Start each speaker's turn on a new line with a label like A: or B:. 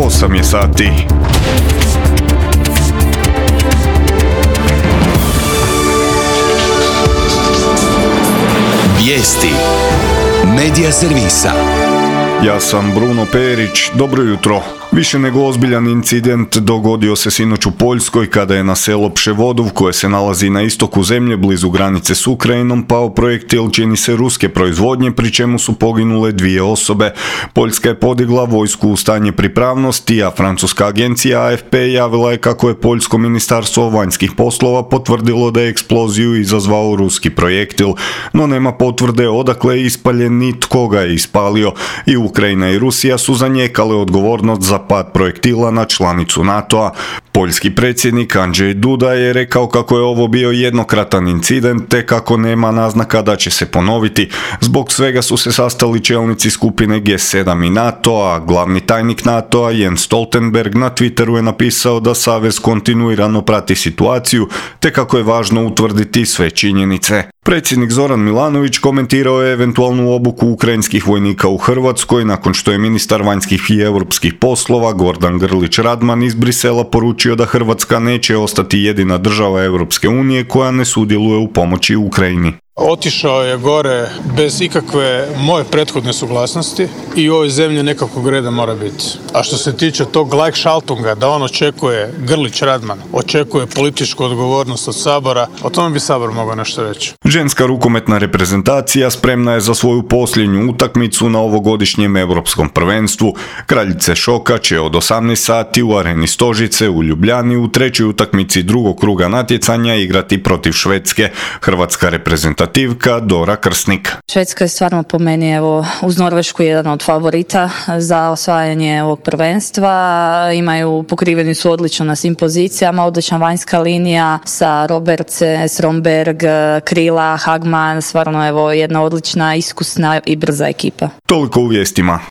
A: 8 je sati.
B: Vijesti Medija servisa.
A: Ja sam Bruno Perić, dobro jutro. Više nego ozbiljan incident dogodio se sinoć u Poljskoj kada je na selo Pševodov, koje se nalazi na istoku zemlje blizu granice s Ukrajinom, pao projektil čini se ruske proizvodnje, pri čemu su poginule 2 osobe. Poljska je podigla vojsku u stanje pripravnosti, a francuska agencija AFP javila je kako je Poljsko ministarstvo vanjskih poslova potvrdilo da je eksploziju izazvao ruski projektil, no nema potvrde odakle je ispaljen ni tko ga je ispalio. I Ukrajina i Rusija su zanijekale odgovornost za pad projektila na članicu NATO-a. Poljski predsjednik Andrzej Duda je rekao kako je ovo bio jednokratan incident te kako nema naznaka da će se ponoviti. Zbog svega su se sastali čelnici skupine G7 i NATO-a. Glavni tajnik NATO-a Jens Stoltenberg na Twitteru je napisao da savez kontinuirano prati situaciju te kako je važno utvrditi sve činjenice. Predsjednik Zoran Milanović komentirao je eventualnu obuku ukrajinskih vojnika u Hrvatskoj nakon što je ministar vanjskih i europskih poslova Gordan Grlić Radman iz Brisela poručio da Hrvatska neće ostati jedina država Europske unije koja ne sudjeluje u pomoći Ukrajini.
C: Otišao je gore bez ikakve moje prethodne suglasnosti i u ovoj zemlji nekakvog reda mora biti. A što se tiče tog Gleichschaltunga, da on očekuje, Grlić Radman, očekuje političku odgovornost od Sabora, o tome bi Sabor mogao nešto reći.
A: Ženska rukometna reprezentacija spremna je za svoju posljednju utakmicu na ovogodišnjem europskom prvenstvu. Kraljice šoka će od 18 sati u areni Stožice u Ljubljani u trećoj utakmici drugog kruga natjecanja igrati protiv Švedske. Hrvatska reprezentativka Dora Krsnik.
D: Švedska je stvarno po meni uz Norvešku jedan od favorita za osvajanje ovog prvenstva. Pokriveni su odlično na svim pozicijama, odlična vanjska linija sa Robertse, Stromberg, Krila, Hagman, stvarno jedna odlična, iskusna i brza ekipa.
A: Toliko u vijestima.